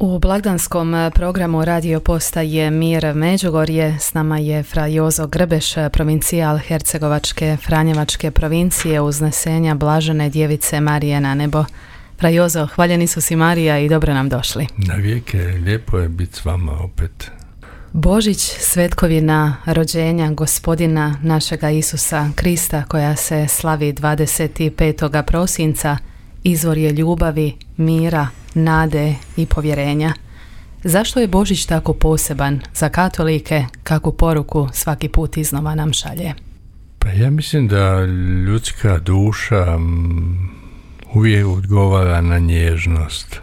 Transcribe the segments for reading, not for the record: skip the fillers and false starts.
U blagdanskom programu radio postaje Mir Međugorje s nama je fra Jozo Grbeš, provincijal Hercegovačke Franjevačke provincije uznesenja Blažene Djevice Marije na nebo. Fra Jozo, hvaljeni su si Marija i dobro nam došli. Na vijeke, lijepo je biti s vama opet. Božić, svetkovina rođenja Gospodina našega Isusa Krista koja se slavi 25. prosinca, izvor je ljubavi, mira, nade i povjerenja. Zašto je Božić tako poseban za katolike, kakvu poruku svaki put iznova nam šalje? Pa ja mislim da ljudska duša uvijek odgovara na nježnost.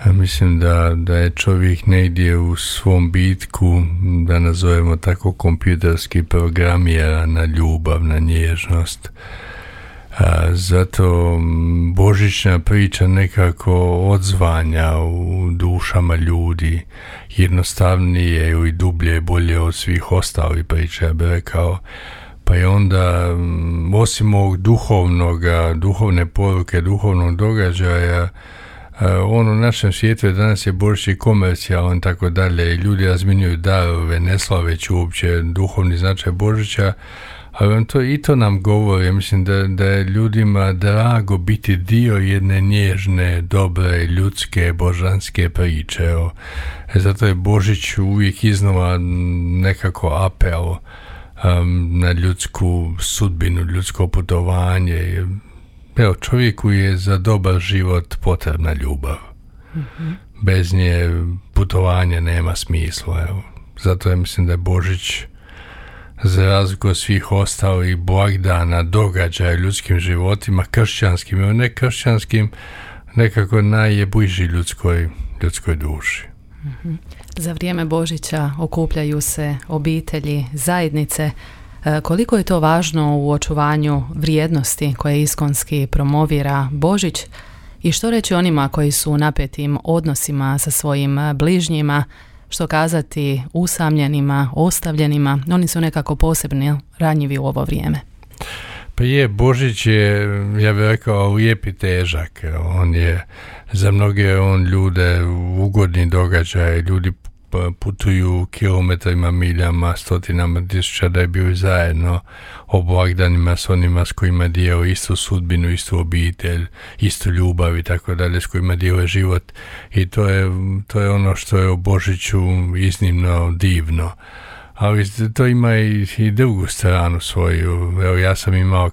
Ja mislim da je čovjek negdje u svom bitku, da nazovemo tako kompjuterski programira na ljubav, na nježnost. Zato božićna priča nekako odzvanja u dušama ljudi, jednostavnije i dublje, bolje od svih ostalih priča, ja bih rekao. Pa je onda, osim ovog duhovne poruke, duhovnog događaja, u našem svijetu je danas je Božić i komercijalan, tako dalje, i ljudi razminjuju darove, ne slaveći uopće duhovni značaj Božića, ali to nam govori, mislim da je ljudima drago biti dio jedne nježne, dobre, ljudske, božanske priče. Zato je Božić uvijek iznova nekako apel na ljudsku sudbinu, ljudsko putovanje. Evo, čovjeku je za dobar život potrebna ljubav. Mm-hmm. Bez nje putovanje nema smisla. Evo. Zato ja mislim da je Božić, za razliku od svih ostalih blagdana, događaja ljudskim životima, kršćanskim i nekršćanskim, nekako najbliži ljudskoj duši. Mm-hmm. Za vrijeme Božića okupljaju se obitelji, zajednice. Koliko je to važno u očuvanju vrijednosti koje iskonski promovira Božić i što reći onima koji su u napetim odnosima sa svojim bližnjima, što kazati usamljenima, ostavljenima, oni su nekako posebno ranjivi u ovo vrijeme. Pa Božić je, ja bih rekao, lijep i težak. On je, za mnoge ljude ugodni događaj, ljudi putuju kilometrima, miljama, stotinama tisuća da je bio zajedno o blagdanima s onima s kojima dijele istu sudbinu, istu obitelj, istu ljubav i tako dalje, s kojima dijele život. I to je ono što je u Božiću iznimno divno. Ali to ima i drugu stranu svoju. Evo, ja sam imao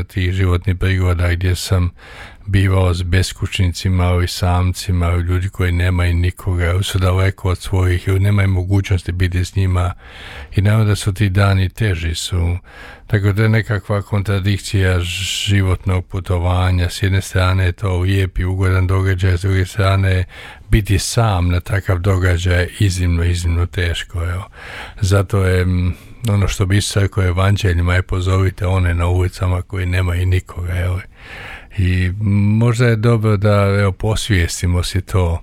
tih životnih prigoda gdje sam bivao s beskućnicima ili samcima ili ljudi koji nemaju nikoga, su daleko od svojih ili nemaju mogućnosti biti s njima i naravno da su ti dani teži su. Tako da je nekakva kontradikcija životnog putovanja. S jedne strane je to lijep i ugodan događaj, s druge strane biti sam na takav događaj iznimno teško. Evo. Zato je ono što bi se rekao evanđeljima je pozovite one na ulicama koji nemaju nikoga. Evo. I možda je dobro da posvijestimo si to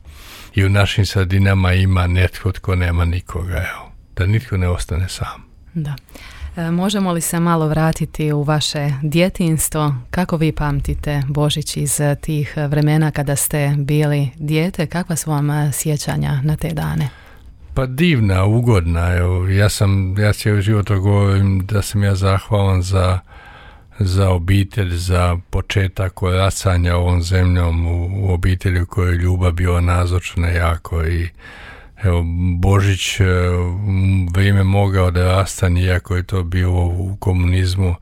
i u našim sredinama ima netko tko nema nikoga, da nitko ne ostane sam. Da. Možemo li se malo vratiti u vaše djetinjstvo? Kako vi pamtite Božić iz tih vremena kada ste bili dijete? Kakva su vam sjećanja na te dane? Pa divna, ugodna. Ja cijeli život govorim da sam ja zahvalan za obitelj, za početak koracanja ovom zemljom u obitelji u kojoj je ljubav bila nazočna jako i Božić vrijeme moga odrastanja, iako je to bilo u komunizmu,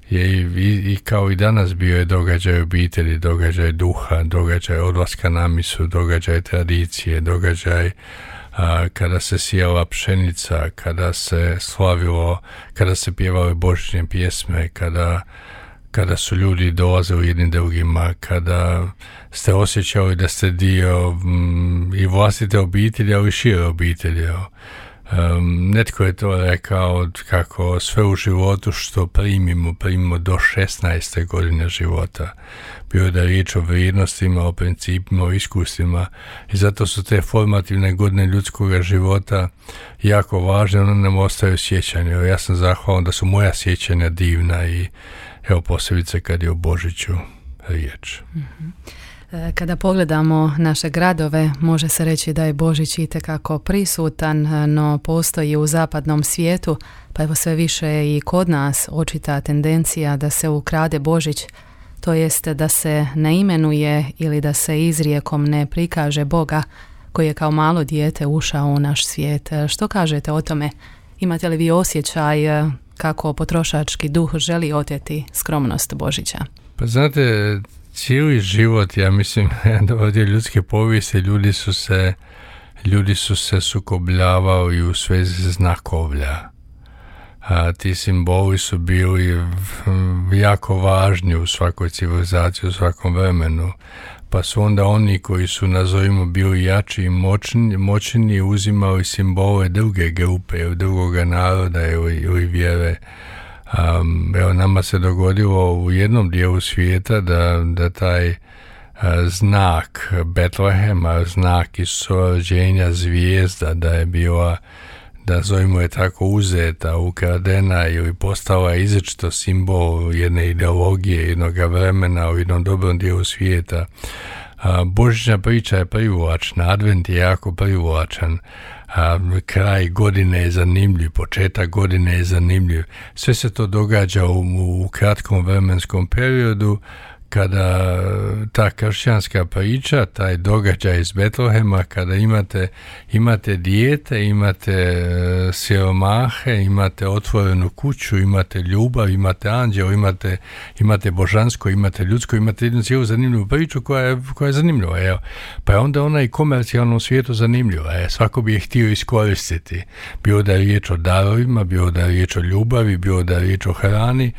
je i kao i danas bio je događaj obitelji, događaj duha, događaj odlaska na misu, događaj tradicije, događaj kada se sijala pšenica, kada se slavilo, kada se pjevale božićne pjesme, kada su ljudi dolazili jednim drugima, kada ste osjećali da ste dio i vlastite obitelji, ali i šire obitelji. Netko je to rekao kako sve u životu što primimo do 16. godine života. Bio da je riječ o vrijednostima, o principima, o iskustvima i zato su te formativne godine ljudskog života jako važne, one nam ostaju sjećanje. Ja sam zahvalan da su moja sjećanja divna i evo posebice kad je o Božiću riječ. Mm-hmm. Kada pogledamo naše gradove, može se reći da je Božić itekako prisutan, no postoji u zapadnom svijetu, pa evo sve više i kod nas očita tendencija da se ukrade Božić, to jest da se ne imenuje ili da se izrijekom ne prikaže Boga koji je kao malo dijete ušao u naš svijet. Što kažete o tome? Imate li vi osjećaj kako potrošački duh želi oteti skromnost Božića? Pa znate, cijeli život, ja mislim, ovdje ljudske povijesti, ljudi su se sukobljavali u svezi znakovlja. A ti simboli su bili jako važni u svakoj civilizaciji, u svakom vremenu. Pa su onda oni koji su, nazovimo, bili jači i moćni uzimali simbole druge grupe, drugoga naroda ili vjere. Evo, nama se dogodilo u jednom dijelu svijeta da taj znak Betlehema, znak Isusova rođenja, zvijezda, da je bila, da zovimo je tako, uzeta, ukradena ili postala izričito simbol jedne ideologije, jednog vremena u jednom dobrom dijelu svijeta. Božićna priča je privlačna, Advent je jako privlačan, kraj godine je zanimljiv, početak godine je zanimljiv. Sve se to događa u kratkom vremenskom periodu, kada ta kršćanska priča, taj događaj iz Betlehema, kada imate dijete, imate siromahe, imate otvorenu kuću, imate ljubav, imate anđeo, imate božansko, imate ljudsko, imate jednu cijelu zanimljivu priču koja je zanimljiva. Evo. Pa je onda ona i komercijalnom svijetu zanimljiva. Svako bi je htio iskoristiti. Bilo da je riječ o darovima, bilo da je riječ o ljubavi, bilo da je riječ o hrani.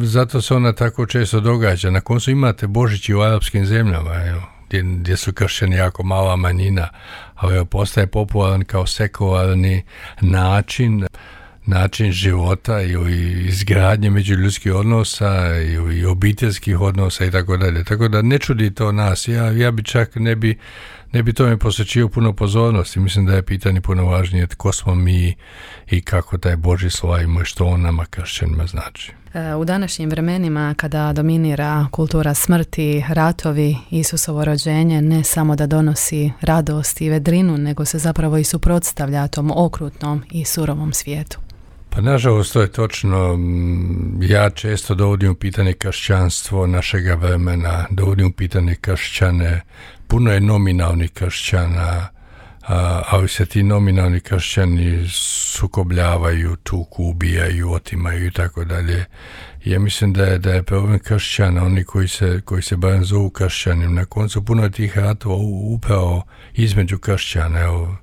Zato se ona tako često događa. Na koncu imate Božić u arapskim zemljama, evo, gdje su kršćani jako mala manjina, ali postaje popularan kao sekularni način života ili izgradnje međuljudskih odnosa ili obiteljskih odnosa i tako dalje. Tako da ne čudi to nas. Ja bi čak ne bi tome posvećio puno pozornosti. Mislim da je pitanje puno važnije tko smo mi i kako taj Božji slavimo i što on nama kršćanima znači. U današnjim vremenima kada dominira kultura smrti, ratovi, Isusovo rođenje ne samo da donosi radost i vedrinu, nego se zapravo i suprotstavlja tom okrutnom i surovom svijetu. Pa nažalost to je točno. Ja često dovodim u pitanje kršćanstvo našega vremena, dovodim u pitanje kršćane. Puno je nominalnih kršćana, ali se ti nominalni kršćani sukobljavaju, tuku, ubijaju, otimaju i tako dalje. Ja mislim da je problem kršćana, oni koji se barem zovu kršćanim. Na koncu puno je tih ratova upravo između kršćana. Evo,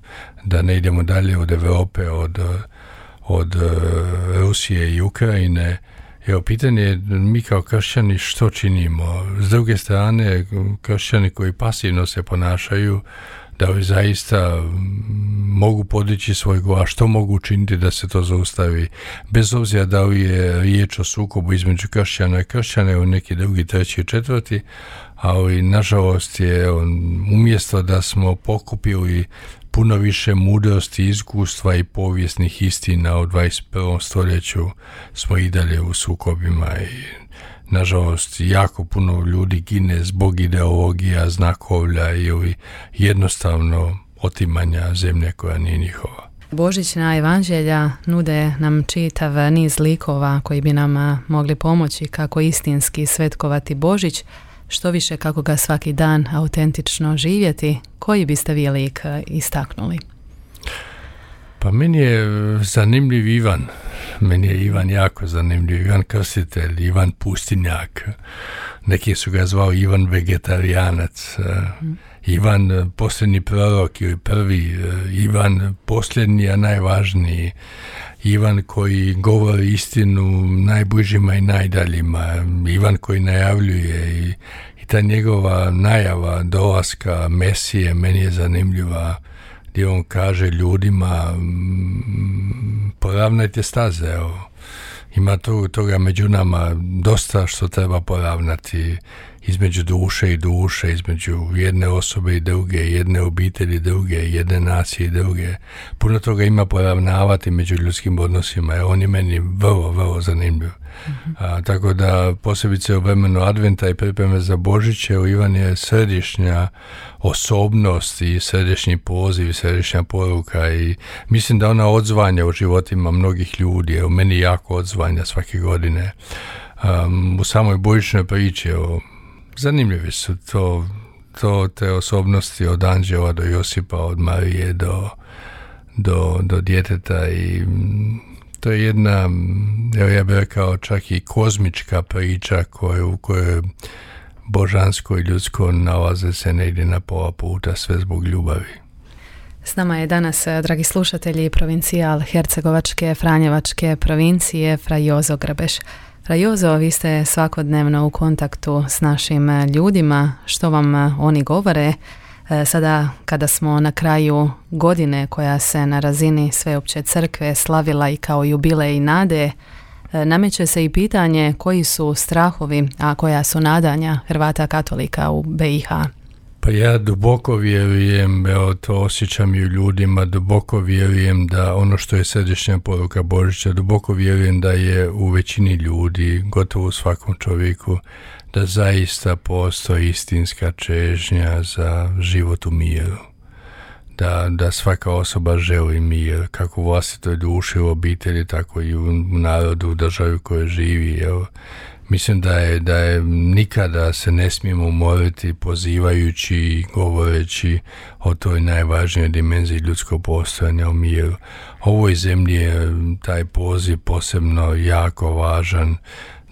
da ne idemo dalje od Europe, od Rusije i Ukrajine. Evo, pitanje je mi kao kršćani što činimo. S druge strane, kršćani koji pasivno se ponašaju, da li zaista mogu podići svoj glas, što mogu učiniti da se to zaustavi, bez obzira da li je riječ o sukobu između kršćana i kršćana ili neki drugi, treći i četvrti, ali nažalost je umjesto da smo pokupili puno više mudrosti, iskustva i povijesnih istina u 21. stoljeću, smo i dalje u sukobima i nažalost jako puno ljudi gine zbog ideologija, znakovlja ili jednostavno otimanja zemlje koja nije njihova. Božićna evanđelja nude nam čitav niz likova koji bi nam mogli pomoći kako istinski svetkovati Božić, što više kako ga svaki dan autentično živjeti. Koji biste vi lik istaknuli? Pa meni je zanimljiv Ivan. Meni je Ivan jako zanimljiv. Ivan Krstitelj, Ivan Pustinjak. Neki su ga zvali Ivan Vegetarijanac. Ivan posljednji prorok ili prvi. Ivan posljednji, a najvažniji. Ivan koji govori istinu najbližima i najdaljima. Ivan koji najavljuje i ta njegova najava dolaska Mesije meni je zanimljiva, gdje on kaže ljudima poravnajte staze, evo. Ima toga među nama dosta što treba poravnati između duše i duše, između jedne osobe i druge, jedne obitelji i druge, jedne nacije i druge. Puno toga ima poravnavati među ljudskim odnosima, jer on je meni vrlo, vrlo zanimljiv. Tako da posebice u vremenu Adventa i pripreme za Božiće u Ivan je središnja osobnost i središnji poziv i središnja poruka i mislim da ona odzvanja u životima mnogih ljudi, u meni jako odzvanja svake godine. U samoj božićnoj priči zanimljivi su te osobnosti od anđela do Josipa, od Marije do djeteta i to je jedna, ja bih rekao, čak i kozmička priča u kojoj božansko i ljudsko nalaze se negdje na pola puta, sve zbog ljubavi. S nama je danas, dragi slušatelji, provincijal Hercegovačke Franjevačke provincije Fra Jozo Grbeš. Fra Jozo, vi ste svakodnevno u kontaktu s našim ljudima. Što vam oni govore? Sada kada smo na kraju godine koja se na razini Sveopće crkve slavila i kao jubilej nade, nameće se i pitanje koji su strahovi, a koja su nadanja Hrvata katolika u BiH. Pa ja duboko vjerujem, to osjećam i u ljudima, duboko vjerujem da ono što je središnja poruka Božića, duboko vjerujem da je u većini ljudi, gotovo u svakom čovjeku, da zaista postoji istinska čežnja za život u miru. Da svaka osoba želi mir, kako u vlastitoj duši, u obitelji, tako i u narodu, u državi u kojoj živi. Mislim da je nikada se ne smijemo umoriti pozivajući i govoreći o toj najvažnijoj dimenziji ljudskog postojanja u miru. Ovoj zemlji je taj poziv posebno jako važan,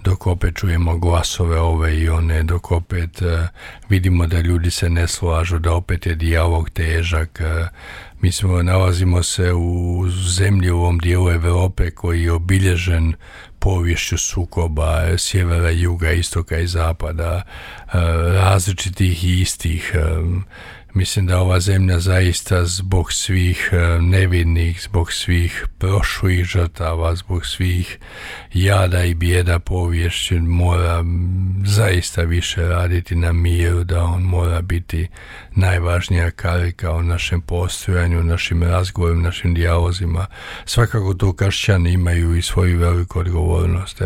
dok opet čujemo glasove ove i one, dok opet vidimo da ljudi se ne slažu, da opet je dijalog težak. Nalazimo se u zemlji, u ovom dijelu Europe koji je obilježen poviješću sukoba sjevera, juga, istoka i zapada, različitih i istih. Mislim da ova zemlja zaista zbog svih nevinih, zbog svih prošlih žrtava, zbog svih jada i bijeda poviješću mora zaista više raditi na miru, da on mora biti najvažnija karika u našem postojanju, našim razgovorima, našim dijalozima. Svakako tu kršćani imaju i svoju veliku odgovornost.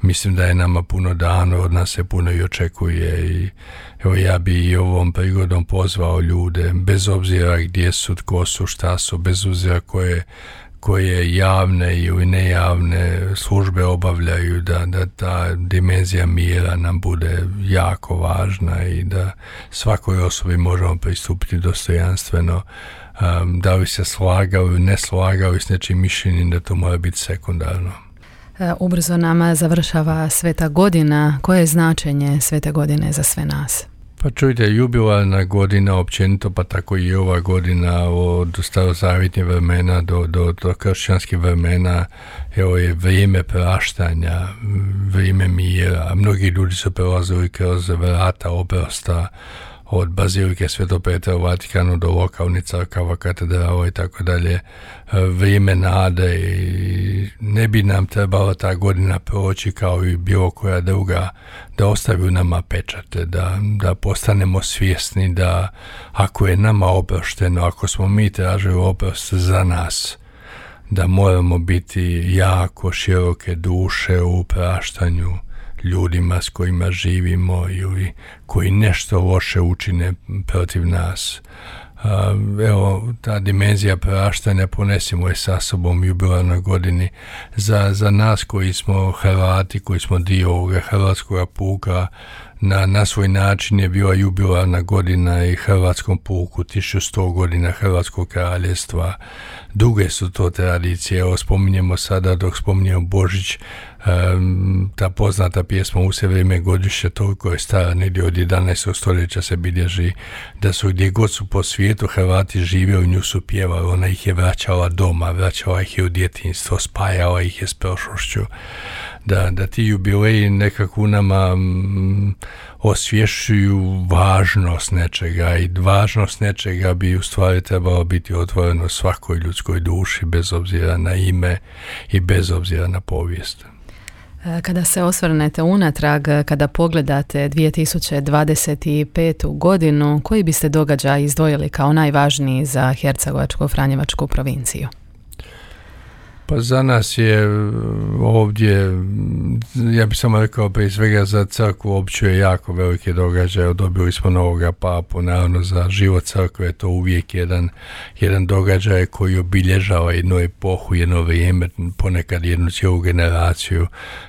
Mislim da je nama puno dano, od nas se puno i očekuje i ja bi i ovom prigodom pozvao ljude, bez obzira gdje su, tko su, šta su, bez obzira koje javne ili nejavne službe obavljaju, da ta dimenzija mira nam bude jako važna i da svakoj osobi možemo pristupiti dostojanstveno. Da li se slagao ili ne slagao s nečim mišljenjem, da to mora biti sekundarno. Ubrzo nama završava Sveta godina. Koje je značenje Svete godine za sve nas? Pa čujte, jubilarna godina općenito, pa tako i ova godina od starozavjetnih vremena do kršćanskih vremena je vrijeme praštanja, vrijeme mira. Mnogi ljudi su prelazili kroz vrata oprosta od Bazilike Svetog Petra u Vatikanu do lokalnih crkava, katedrala i tako dalje, vrijeme nade i ne bi nam trebala ta godina proći kao i bilo koja druga, da ostavi u nama pečate, da postanemo svjesni da ako je nama oprošteno, ako smo mi tražili oprost za nas, da moramo biti jako široke duše u praštanju ljudima s kojima živimo ili koji nešto loše učine protiv nas. Ta dimenzija praštanja ponesimo je sa sobom u jubilarnoj godini. Za nas koji smo Hrvati, koji smo dio ovoga hrvatskog puka, na svoj način je bila jubilarna godina i hrvatskom puku, 1100 godina Hrvatskog kraljevstva. Duge su to tradicije. Evo, spominjemo sada, dok spominjemo Božić, ta poznata pjesma U se vrijeme godišnje, toliko je stara, negdje od 11. stoljeća se bilježi, da su gdje god su po svijetu Hrvati živjeli, nju su pjevali, ona ih je vraćala doma, vraćala ih je u djetinjstvo, spajala ih je s prošlošću. Da ti jubileji nekako u nama osvješćuju važnost nečega i važnost nečega bi u stvari trebalo biti otvoreno svakoj ljudskoj duši, bez obzira na ime i bez obzira na povijest. Kada se osvrnete unatrag, kada pogledate 2025. godinu, koji biste događaj izdvojili kao najvažniji za Hercegovačko-Franjevačku provinciju? Pa za nas je ovdje, ja bih samo rekao prije svega za crkvu opću je jako veliki događaj. Dobili smo novoga papu, naravno za život crkve je to uvijek jedan događaj koji obilježava jednu epohu, jedno vrijeme, ponekad jednu cijelu generaciju.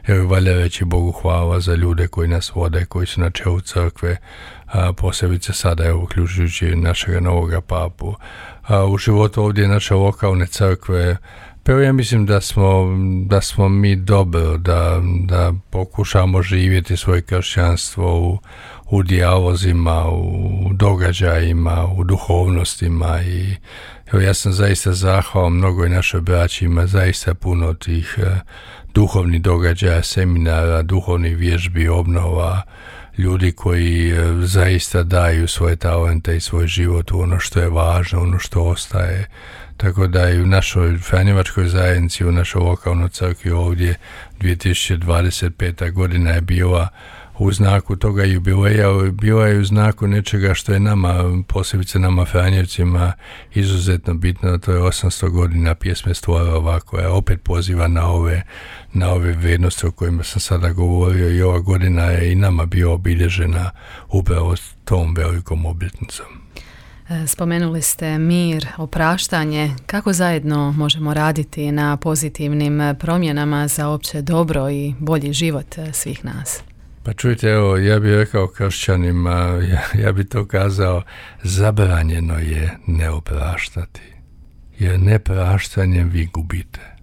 Jer valja reći Bogu hvala za ljude koji nas vode, koji su na čelu crkve, posebice sada, evo, uključujući našega novoga papu. U životu ovdje naše lokalne crkve, pa ja mislim da smo mi dobro, da pokušamo živjeti svoje kršćanstvo u dijalozima, u događajima, u duhovnostima i evo, ja sam zaista zahvalan mnogo i našoj braći, ima zaista puno tih duhovnih događaja, seminara, duhovnih vježbi, obnova, ljudi koji zaista daju svoje talente i svoj život u ono što je važno, ono što ostaje. Tako da i u našoj Franjevačkoj zajednici, u našoj lokalnoj crkvi ovdje 2025. godina je bila u znaku toga jubileja, bila je u znaku nečega što je nama, posebice nama Franjevcima, izuzetno bitno, to je 800 godina pjesme Stvorova, koja opet poziva na ove vrijednosti o kojima sam sada govorio i ova godina je i nama bio obilježena upravo tom velikom obljetnicom. Spomenuli ste mir, opraštanje. Kako zajedno možemo raditi na pozitivnim promjenama za opće dobro i bolji život svih nas? Pa čujte, evo, ja bih rekao kršćanima, ja bih to kazao, zabranjeno je ne opraštati. Jer nepraštanjem vi gubite.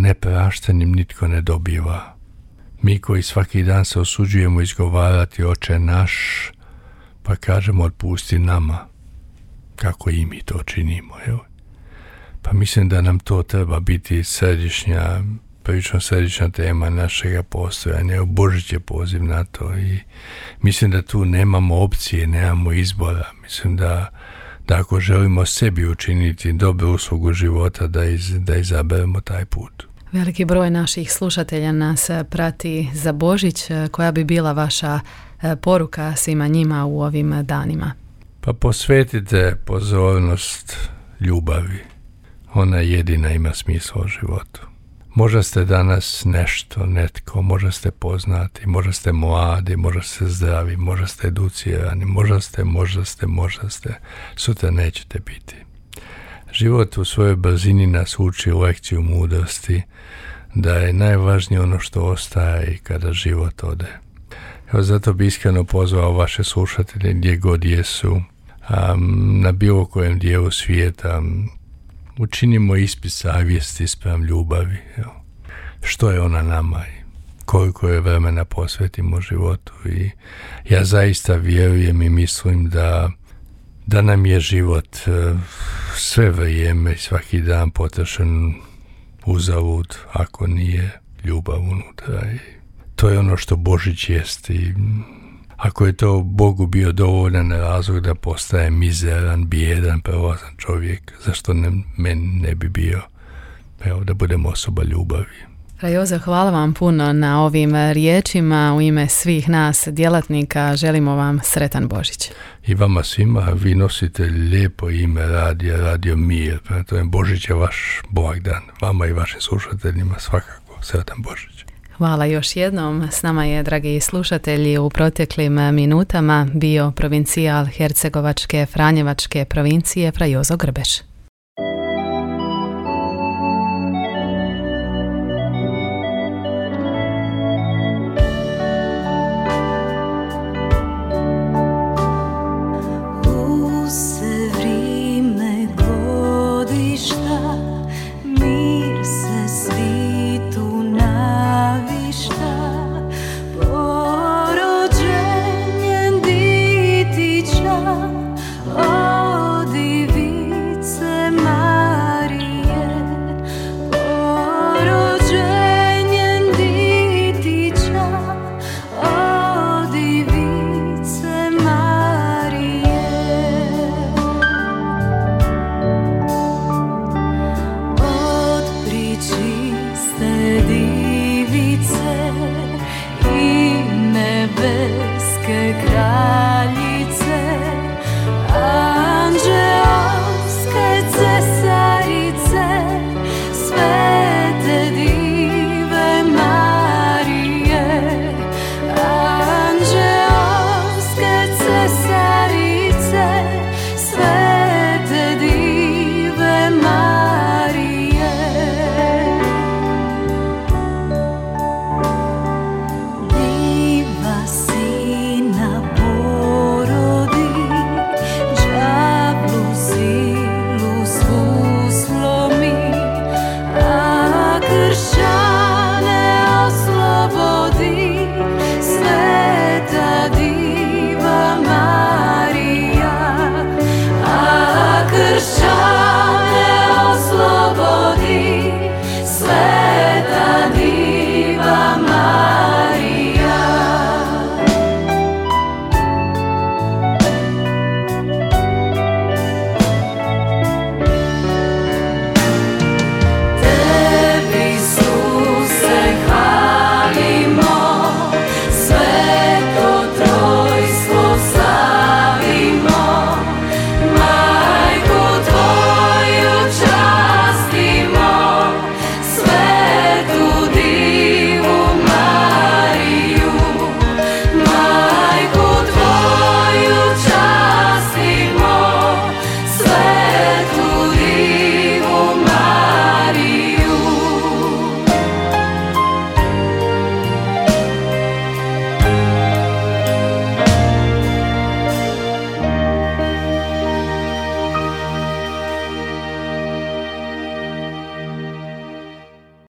Nepraštanjem nitko ne dobiva. Mi koji svaki dan se osuđujemo izgovarati Oče naš, pa kažemo otpusti nama, kako i mi to činimo. Evo. Pa mislim da nam to treba biti prilično središnja tema našega postojanja. Božić je poziv na to i mislim da tu nemamo opcije, nemamo izbora. Mislim da ako želimo sebi učiniti dobru uslugu života, da izaberemo taj put. Veliki broj naših slušatelja nas prati za Božić. Koja bi bila vaša poruka svima njima u ovim danima? Pa posvetite pozornost ljubavi. Ona jedina ima smisla u životu. Možda ste danas nešto, netko, možda ste poznati, možda ste mladi, možda ste zdravi, možda ste educirani, možda ste, sutra nećete biti. Život u svojoj brzini nas uči lekciju mudrosti, da je najvažnije ono što ostaje i kada život ode. Evo, zato bi iskreno pozvao vaše slušatelje gdje god jesu, na bilo kojem dijelu svijeta, učinimo ispit savjesti spram ljubavi. Evo. Što je ona nama i koliko je vremena posvetimo životu. I ja zaista vjerujem i mislim da nam je život sve vrijeme i svaki dan potrošen uzalud ako nije ljubav unutra. I to je ono što Božić jest i ako je to Bogu bio dovoljan razlog da postaje mizeran, bijedan, prolazan čovjek, zašto meni ne bi bio? Evo, da budemo osoba ljubavi. Jozo, hvala vam puno na ovim riječima. U ime svih nas djelatnika želimo vam sretan Božić. I vama svima, vi nosite lijepo ime Radio Mir. To je Božić je vaš blagdan. Vama i vašim slušateljima svakako sretan Božić. Hvala još jednom. S nama je, dragi slušatelji, u proteklim minutama bio provincijal Hercegovačke Franjevačke provincije Fra Jozo Grbeš.